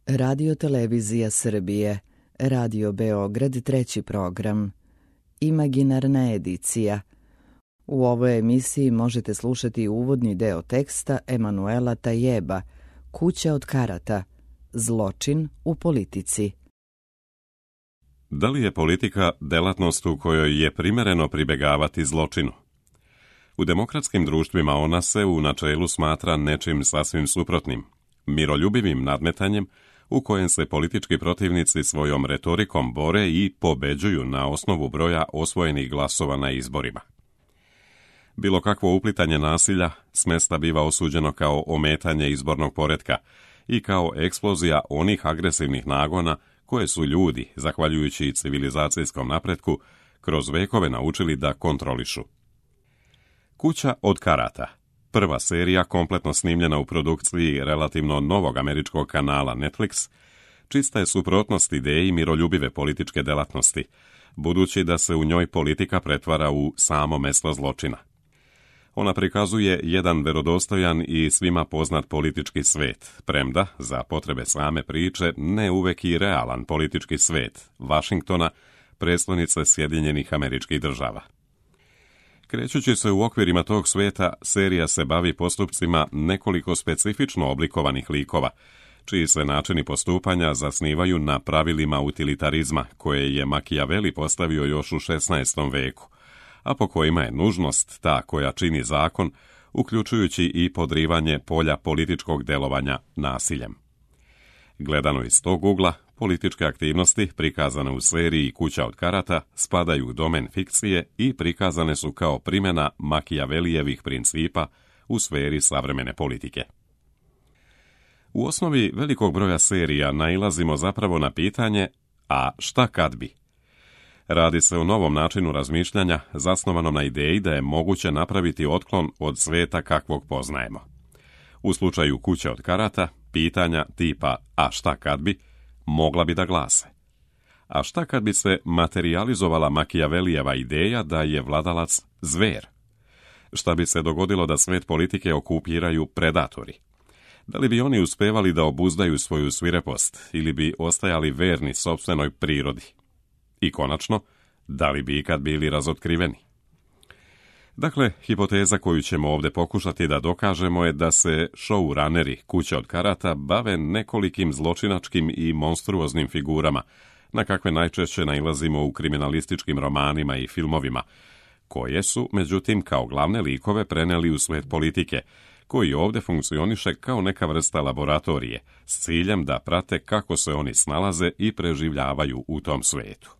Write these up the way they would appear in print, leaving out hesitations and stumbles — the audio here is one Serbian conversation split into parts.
Radio Televizija Srbije, Radio Beograd, treći program, Imaginarna edicija. U ovoj emisiji možete slušati uvodni deo teksta Emanuela Tajeba, Kuća od karata, zločin u politici. Da li je politika delatnost u kojoj je primereno pribegavati zločinu? U demokratskim društvima ona se u načelu smatra nečim sasvim suprotnim, miroljubivim nadmetanjem u kojem se politički protivnici svojom retorikom bore i pobeđuju na osnovu broja osvojenih glasova na izborima. Bilo kakvo uplitanje nasilja s mesta biva osuđeno kao ometanje izbornog poretka i kao eksplozija onih agresivnih nagona koje su ljudi, zahvaljujući civilizacijskom napretku, kroz vekove naučili da kontrolišu. Kuća od karata, prva serija kompletno snimljena u produkciji relativno novog američkog kanala Netflix, čista je suprotnost ideji miroljubive političke delatnosti, budući da se u njoj politika pretvara u samo mesto zločina. Ona prikazuje jedan verodostojan i svima poznat politički svet, premda, za potrebe same priče, ne uvek i realan politički svet, Vašingtona, prestonice Sjedinjenih Američkih Država. Krećući se u okvirima tog sveta, serija se bavi postupcima nekoliko specifično oblikovanih likova, čiji se načini postupanja zasnivaju na pravilima utilitarizma koje je Machiavelli postavio još u 16. veku, a po kojima je nužnost ta koja čini zakon, uključujući i podrivanje polja političkog delovanja nasiljem. Gledano iz tog ugla, političke aktivnosti prikazane u seriji Kuća od karata spadaju u domen fikcije i prikazane su kao primjena Machiavellijevih principa u sferi savremene politike. U osnovi velikog broja serija nailazimo zapravo na pitanje, a šta kad bi? Radi se o novom načinu razmišljanja zasnovanom na ideji da je moguće napraviti otklon od sveta kakvog poznajemo. U slučaju Kuće od karata, pitanja tipa a šta kad bi, mogla bi da glase. A šta kad bi se materijalizovala Machiavellijeva ideja da je vladalac zver? Šta bi se dogodilo da svet politike okupiraju predatori? Da li bi oni uspevali da obuzdaju svoju svirepost ili bi ostajali verni sopstvenoj prirodi? I konačno, da li bi ikad bili razotkriveni? Dakle, hipoteza koju ćemo ovdje pokušati da dokažemo je da se showrunneri Kuće od karata bave nekolikim zločinačkim i monstruoznim figurama, na kakve najčešće nailazimo u kriminalističkim romanima i filmovima, koje su, međutim, kao glavne likove preneli u svet politike, koji ovdje funkcioniše kao neka vrsta laboratorije, s ciljem da prate kako se oni snalaze i preživljavaju u tom svetu.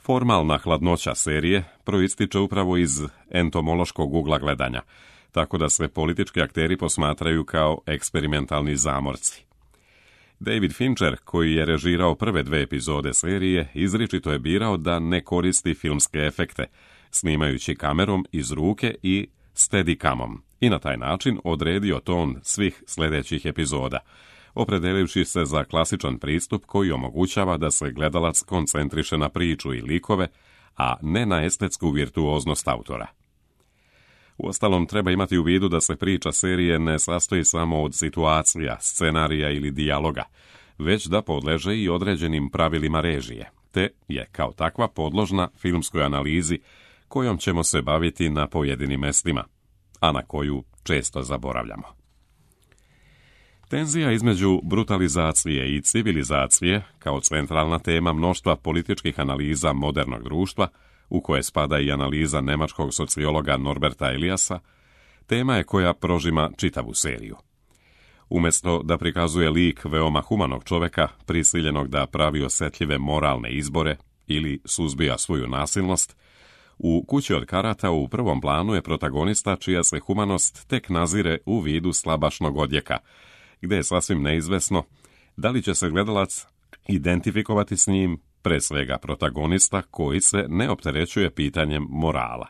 Formalna hladnoća serije proističe upravo iz entomološkog ugla gledanja, tako da se politički akteri posmatraju kao eksperimentalni zamorci. David Fincher, koji je režirao prve 2 epizode serije, izričito je birao da ne koristi filmske efekte, snimajući kamerom iz ruke i steadicamom, i na taj način odredio ton svih sljedećih epizoda, opredelivši se za klasičan pristup koji omogućava da se gledalac koncentriše na priču i likove, a ne na estetsku virtuoznost autora. Uostalom, treba imati u vidu da se priča serije ne sastoji samo od situacija, scenarija ili dijaloga, već da podleže i određenim pravilima režije, te je kao takva podložna filmskoj analizi kojom ćemo se baviti na pojedinim mestima, a na koju često zaboravljamo. Tenzija između brutalizacije i civilizacije, kao centralna tema mnoštva političkih analiza modernog društva, u koje spada i analiza nemačkog sociologa Norberta Eliasa, tema je koja prožima čitavu seriju. Umjesto da prikazuje lik veoma humanog čoveka, prisiljenog da pravi osjetljive moralne izbore ili suzbija svoju nasilnost, u Kući od karata u prvom planu je protagonista čija se humanost tek nazire u vidu slabašnog odjeka, gdje je sasvim neizvesno da li će se gledalac identifikovati s njim, pre svega protagonista koji se ne opterećuje pitanjem morala.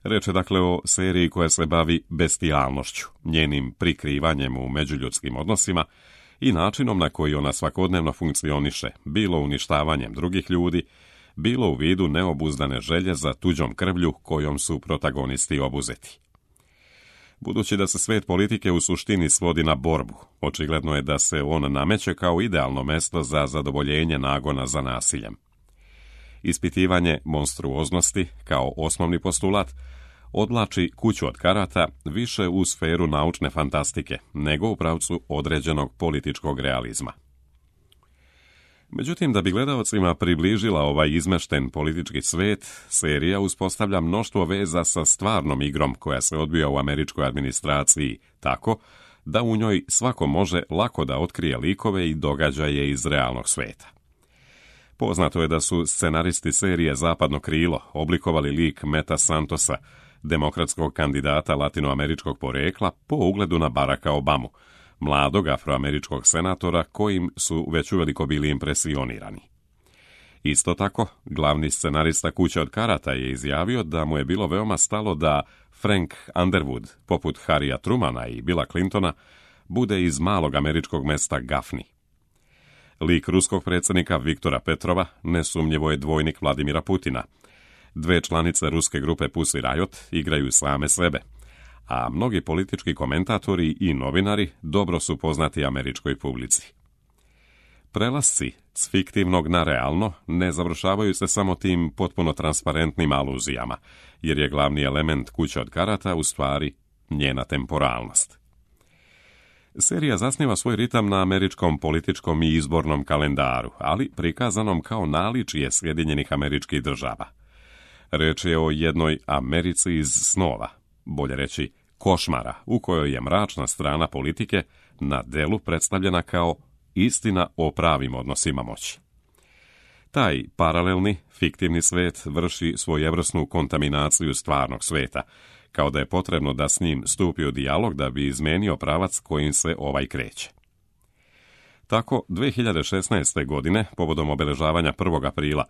Reč je dakle o seriji koja se bavi bestijalnošću, njenim prikrivanjem u međuljudskim odnosima i načinom na koji ona svakodnevno funkcioniše, bilo uništavanjem drugih ljudi, bilo u vidu neobuzdane želje za tuđom krvlju kojom su protagonisti obuzeti. Budući da se svet politike u suštini svodi na borbu, očigledno je da se on nameće kao idealno mesto za zadovoljenje nagona za nasiljem. Ispitivanje monstruoznosti kao osnovni postulat odvlači Kuću od karata više u sferu naučne fantastike nego u pravcu određenog političkog realizma. Međutim, da bi gledaocima približila ovaj izmešten politički svet, serija uspostavlja mnoštvo veza sa stvarnom igrom koja se odvija u američkoj administraciji, tako da u njoj svako može lako da otkrije likove i događaje iz realnog sveta. Poznato je da su scenaristi serije Zapadno krilo oblikovali lik Meta Santosa, demokratskog kandidata latinoameričkog porekla, po ugledu na Baracka Obamu, mladog afroameričkog senatora kojim su već uveliko bili impresionirani. Isto tako, glavni scenarista Kuće od karata je izjavio da mu je bilo veoma stalo da Frank Underwood, poput Harrya Trumana i Billa Clintona, bude iz malog američkog mesta Gaffney. Lik ruskog predsjednika Viktora Petrova nesumnjivo je dvojnik Vladimira Putina. Dve članice ruske grupe Pussy Riot igraju same sebe, a mnogi politički komentatori i novinari dobro su poznati američkoj publici. Prelasci s fiktivnog na realno ne završavaju se samo tim potpuno transparentnim aluzijama, jer je glavni element Kuće od karata u stvari njena temporalnost. Serija zasniva svoj ritam na američkom političkom i izbornom kalendaru, ali prikazanom kao naličje Sjedinjenih Američkih Država. Reč je o jednoj Americi iz snova, bolje reći košmara, u kojoj je mračna strana politike na delu predstavljena kao istina o pravim odnosima moći. Taj paralelni, fiktivni svet vrši svojevrsnu kontaminaciju stvarnog sveta, kao da je potrebno da s njim stupi u dijalog da bi izmenio pravac kojim se ovaj kreće. Tako, 2016. godine, povodom obeležavanja 1. aprila,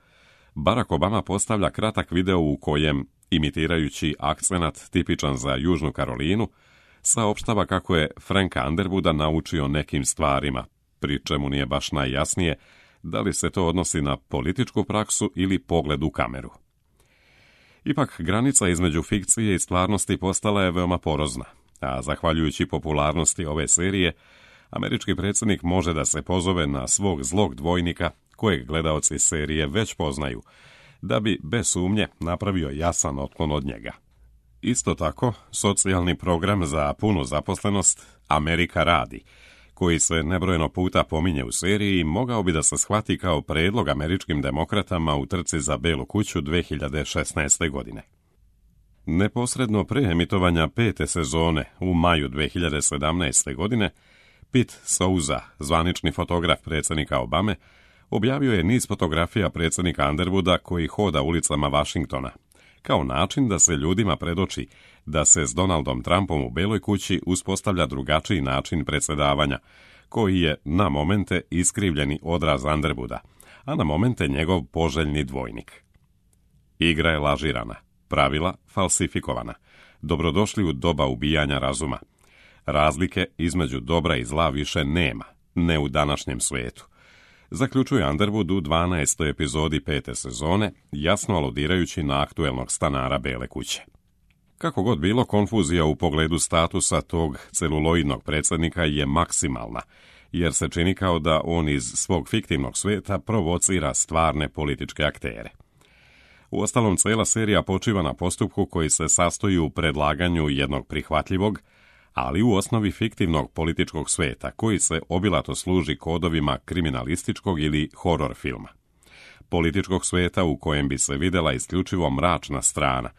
Barack Obama postavlja kratak video u kojem, imitirajući akcenat tipičan za Južnu Karolinu, saopštava kako je Franka Underwooda naučio nekim stvarima, pri čemu nije baš najjasnije da li se to odnosi na političku praksu ili pogled u kameru. Ipak, granica između fikcije i stvarnosti postala je veoma porozna, a zahvaljujući popularnosti ove serije, američki predsjednik može da se pozove na svog zlog dvojnika, kojeg gledaoci serije već poznaju, da bi bez sumnje napravio jasan otklon od njega. Isto tako, socijalni program za punu zaposlenost Amerika radi, koji se nebrojeno puta pominje u seriji, mogao bi da se shvati kao predlog američkim demokratama u trci za Belu kuću 2016. godine. Neposredno pre emitovanja 5. sezone u maju 2017. godine, Pete Souza, zvanični fotograf predsjednika Obame, objavio je niz fotografija predsjednika Underwooda koji hoda ulicama Washingtona, kao način da se ljudima predoči da se s Donaldom Trumpom u Beloj kući uspostavlja drugačiji način predsjedavanja, koji je na momente iskrivljeni odraz Underwooda, a na momente njegov poželjni dvojnik. Igra je lažirana, pravila falsifikovana, dobrodošli u doba ubijanja razuma. Razlike između dobra i zla više nema, ne u današnjem svijetu, zaključuje Underwood u 12. epizodi 5. sezone, jasno aludirajući na aktuelnog stanara Bele kuće. Kako god bilo, konfuzija u pogledu statusa tog celuloidnog predsjednika je maksimalna, jer se čini kao da on iz svog fiktivnog svijeta provocira stvarne političke aktere. Uostalom, cijela serija počiva na postupku koji se sastoji u predlaganju jednog prihvatljivog, ali u osnovi fiktivnog političkog svijeta, koji se obilato služi kodovima kriminalističkog ili horor filma. Političkog svijeta u kojem bi se vidjela isključivo mračna strana,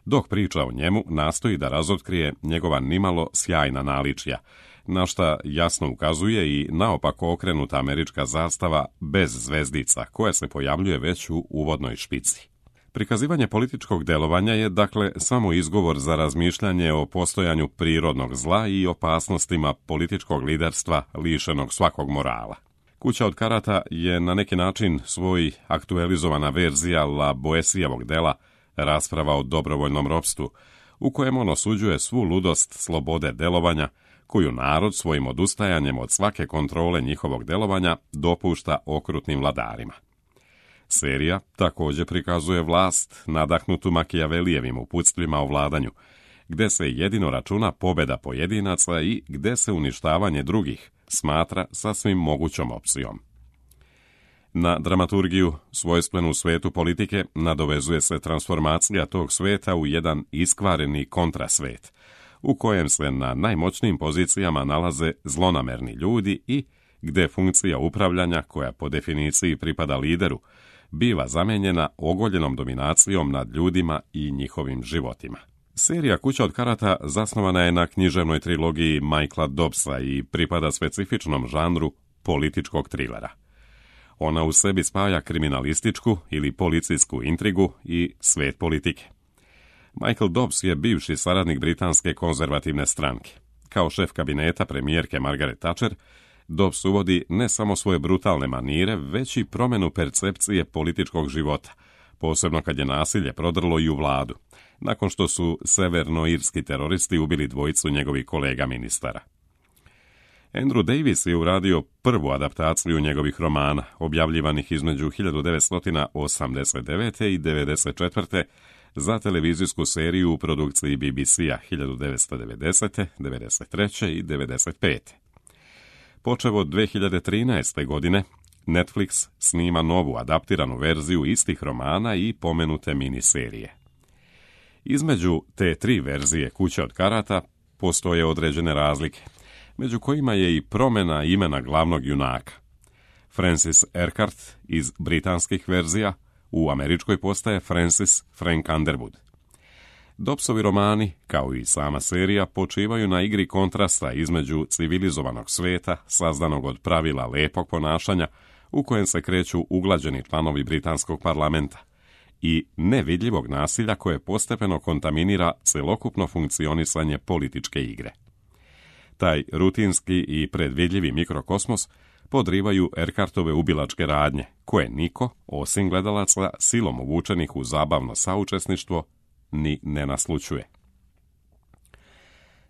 dok priča o njemu nastoji da razotkrije njegova nimalo sjajna naličja, na šta jasno ukazuje i naopako okrenuta američka zastava bez zvezdica, koja se pojavljuje već u uvodnoj špici. Prikazivanje političkog delovanja je, dakle, samo izgovor za razmišljanje o postojanju prirodnog zla i opasnostima političkog liderstva lišenog svakog morala. Kuća od karata je na neki način svoj aktualizovana verzija La Boesievog dela Rasprava o dobrovoljnom ropstvu, u kojem on osuđuje svu ludost slobode delovanja, koju narod svojim odustajanjem od svake kontrole njihovog delovanja dopušta okrutnim vladarima. Serija također prikazuje vlast nadahnutu Makijavelijevim uputstvima o vladanju, gde se jedino računa pobjeda pojedinaca i gde se uništavanje drugih smatra sasvim mogućom opcijom. Na dramaturgiju, svojstvenu u svetu politike, nadovezuje se transformacija tog sveta u jedan iskvareni kontrasvet, u kojem se na najmoćnijim pozicijama nalaze zlonamerni ljudi i gde funkcija upravljanja, koja po definiciji pripada lideru, biva zamenjena ogoljenom dominacijom nad ljudima i njihovim životima. Serija Kuća od karata zasnovana je na književnoj trilogiji Michaela Dobbsa i pripada specifičnom žanru političkog trilera. Ona u sebi spaja kriminalističku ili policijsku intrigu i svet politike. Michael Dobbs je bivši saradnik britanske konzervativne stranke. Kao šef kabineta premijerke Margaret Thatcher, Dobbs uvodi ne samo svoje brutalne manire, već i promjenu percepcije političkog života, posebno kad je nasilje prodrlo i u vladu, nakon što su severnoirski teroristi ubili dvojicu njegovih kolega ministara. Andrew Davis je uradio prvu adaptaciju njegovih romana, objavljivanih između 1989. i 1994. za televizijsku seriju u produkciji BBC-a 1990., 1993. i 1995. Počev od 2013. godine, Netflix snima novu adaptiranu verziju istih romana i pomenute miniserije. Između te tri verzije Kuće od karata postoje određene razlike, među kojima je i promjena imena glavnog junaka. Francis Urquhart iz britanskih verzija u američkoj postaje Francis Frank Underwood. Dobbsovi romani, kao i sama serija, počivaju na igri kontrasta između civilizovanog sveta, sazdanog od pravila lepog ponašanja, u kojem se kreću uglađeni članovi britanskog parlamenta, i nevidljivog nasilja koje postepeno kontaminira celokupno funkcionisanje političke igre. Taj rutinski i predvidljivi mikrokosmos podrivaju Urquhartove ubilačke radnje, koje niko, osim gledalaca silom uvučenih u zabavno saučesništvo, ni ne naslućuje.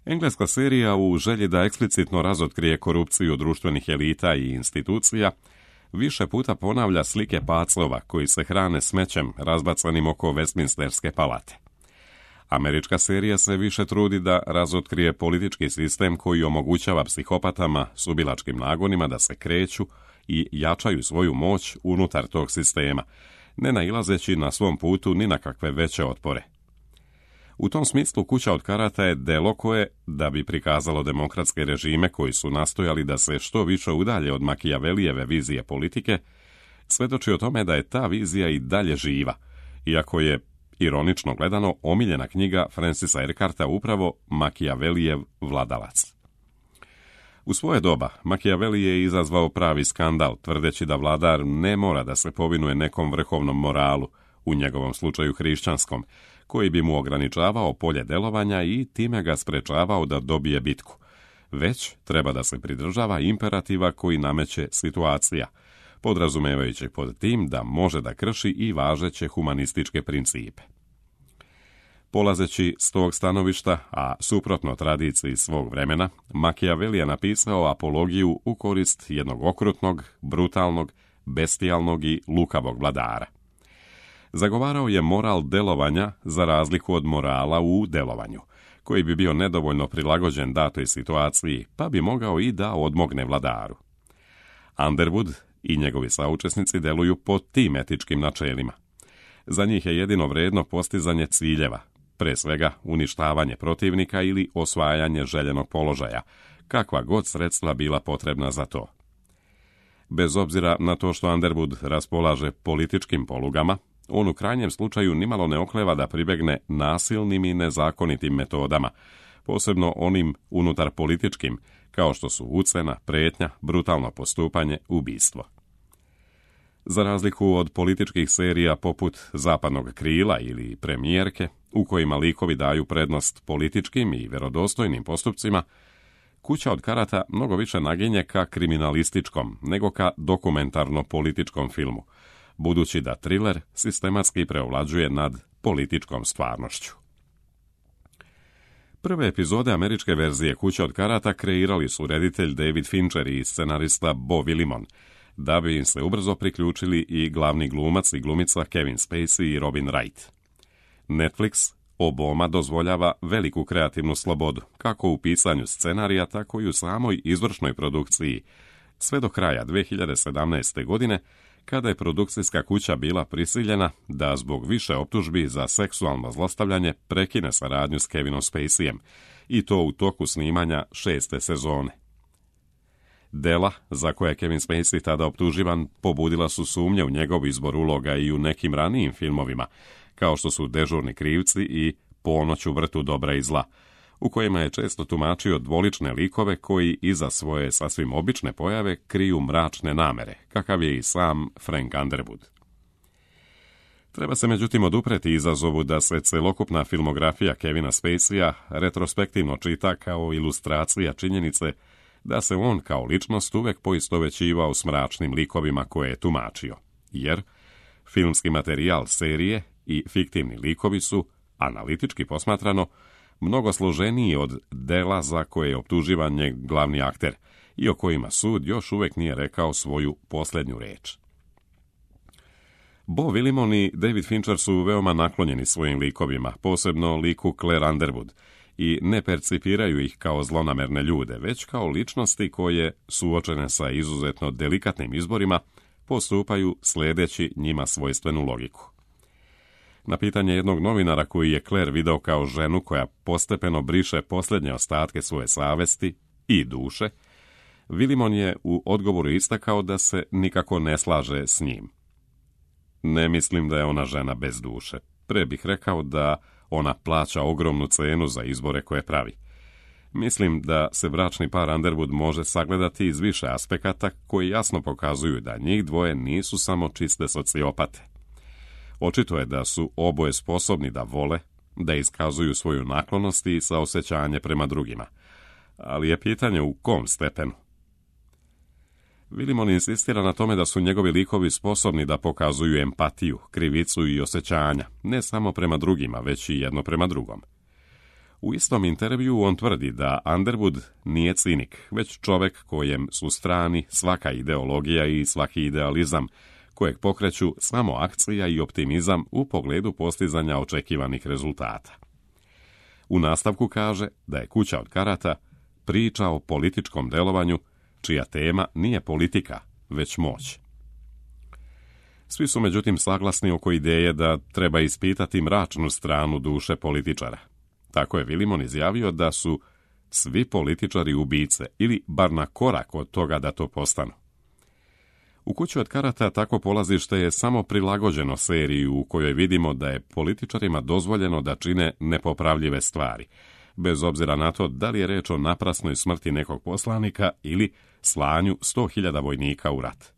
Engleska serija, u želji da eksplicitno razotkrije korupciju društvenih elita i institucija, više puta ponavlja slike paclova koji se hrane smećem razbacanim oko Westminsterske palate. Američka serija se više trudi da razotkrije politički sistem koji omogućava psihopatama s ubilačkim nagonima da se kreću i jačaju svoju moć unutar tog sistema, ne nailazeći na svom putu ni na kakve veće otpore. U tom smislu Kuća od karata je delo koje, da bi prikazalo demokratske režime koji su nastojali da se što više udalje od Makijavelijeve vizije politike, svedoči o tome da je ta vizija i dalje živa, iako je, ironično gledano, omiljena knjiga Francisa Urquharta upravo Makijavelijev vladalac. U svoje doba Makijaveli je izazvao pravi skandal, tvrdeći da vladar ne mora da se povinuje nekom vrhovnom moralu, u njegovom slučaju hrišćanskom, koji bi mu ograničavao polje delovanja i time ga sprečavao da dobije bitku, već treba da se pridržava imperativa koji nameće situacija, podrazumevajući pod tim da može da krši i važeće humanističke principe. Polazeći s tog stanovišta, a suprotno tradiciji svog vremena, Makijaveli je napisao apologiju u korist jednog okrutnog, brutalnog, bestijalnog i lukavog vladara. Zagovarao je moral delovanja za razliku od morala u delovanju, koji bi bio nedovoljno prilagođen datoj situaciji, pa bi mogao i da odmogne vladaru. Underwood i njegovi saučesnici deluju po tim etičkim načelima. Za njih je jedino vredno postizanje ciljeva, pre svega uništavanje protivnika ili osvajanje željenog položaja, kakva god sredstva bila potrebna za to. Bez obzira na to što Underwood raspolaže političkim polugama, on u krajnjem slučaju nimalo ne okleva da pribegne nasilnim i nezakonitim metodama, posebno onim unutar političkim, kao što su ucena, pretnja, brutalno postupanje, ubistvo. Za razliku od političkih serija poput Zapadnog krila ili Premijerke, u kojima likovi daju prednost političkim i vjerodostojnim postupcima, Kuća od karata mnogo više naginje ka kriminalističkom nego ka dokumentarno-političkom filmu, budući da triler sistematski preovlađuje nad političkom stvarnošću. Prve epizode američke verzije Kuće od karata kreirali su reditelj David Fincher i scenarista Beau Willimon, da bi im se ubrzo priključili i glavni glumac i glumica Kevin Spacey i Robin Wright. Netflix Oboma dozvoljava veliku kreativnu slobodu, kako u pisanju scenarija, tako i u samoj izvršnoj produkciji, sve do kraja 2017. godine, kada je produkcijska kuća bila prisiljena da zbog više optužbi za seksualno zlostavljanje prekine saradnju s Kevinom Spaceyem, i to u toku snimanja 6. sezone. Dela za koje je Kevin Spacey tada optuživan pobudila su sumnje u njegov izbor uloga i u nekim ranijim filmovima, kao što su Dežurni krivci i Ponoć u vrtu dobra i zla, u kojima je često tumačio dvolične likove koji iza svoje sasvim obične pojave kriju mračne namere, kakav je i sam Frank Underwood. Treba se međutim odupreti izazovu da se celokupna filmografija Kevina Spaceya retrospektivno čita kao ilustracija činjenice da se on kao ličnost uvek poistovećivao s mračnim likovima koje je tumačio, jer filmski materijal serije i fiktivni likovi su, analitički posmatrano, mnogo složeniji od dela za koje je optuživan njegov glavni akter i o kojima sud još uvek nije rekao svoju posljednju reč. Bo Willimon i David Fincher su veoma naklonjeni svojim likovima, posebno liku Claire Underwood, i ne percipiraju ih kao zlonamerne ljude, već kao ličnosti koje, suočene sa izuzetno delikatnim izborima, postupaju sledeći njima svojstvenu logiku. Na pitanje jednog novinara koji je Claire video kao ženu koja postepeno briše posljednje ostatke svoje savesti i duše, Willimon je u odgovoru istakao da se nikako ne slaže s njim. Ne mislim da je ona žena bez duše. Pre bih rekao da ona plaća ogromnu cenu za izbore koje pravi. Mislim da se bračni par Underwood može sagledati iz više aspekata koji jasno pokazuju da njih dvoje nisu samo čiste sociopate. Očito je da su oboje sposobni da vole, da iskazuju svoju naklonost i saosećanje prema drugima. Ali je pitanje u kom stepenu. Willimon insistira na tome da su njegovi likovi sposobni da pokazuju empatiju, krivicu i osjećanja, ne samo prema drugima, već i jedno prema drugom. U istom intervju on tvrdi da Underwood nije cinik, već čovek kojem su strani svaka ideologija i svaki idealizam, kojeg pokreću samo akcija i optimizam u pogledu postizanja očekivanih rezultata. U nastavku kaže da je Kuća od karata priča o političkom delovanju čija tema nije politika, već moć. Svi su međutim saglasni oko ideje da treba ispitati mračnu stranu duše političara. Tako je Willimon izjavio da su svi političari ubice, ili bar na korak od toga da to postanu. U Kući od karata takvo polazište je samo prilagođeno seriji u kojoj vidimo da je političarima dozvoljeno da čine nepopravljive stvari, bez obzira na to da li je reč o naprasnoj smrti nekog poslanika ili slanju 100.000 vojnika u rat.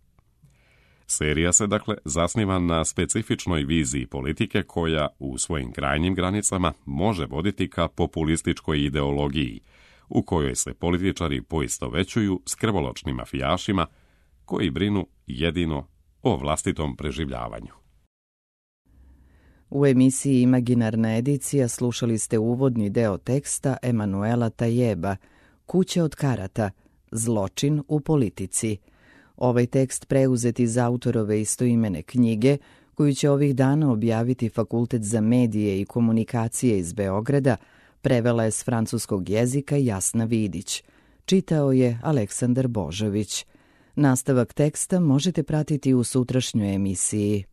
Serija se dakle zasniva na specifičnoj viziji politike koja u svojim krajnjim granicama može voditi ka populističkoj ideologiji, u kojoj se političari poistovećuju s krvoločnim mafijašima koji brinu jedino o vlastitom preživljavanju. U emisiji Imaginarna edicija slušali ste uvodni deo teksta Emanuela Tajeba, Kuća od karata, zločin u politici. Ovaj tekst preuzet iz autorove istoimene knjige, koju će ovih dana objaviti Fakultet za medije i komunikacije iz Beograda, prevela je s francuskog jezika Jasna Vidić. Čitao je Aleksandar Božović. Nastavak teksta možete pratiti u sutrašnjoj emisiji.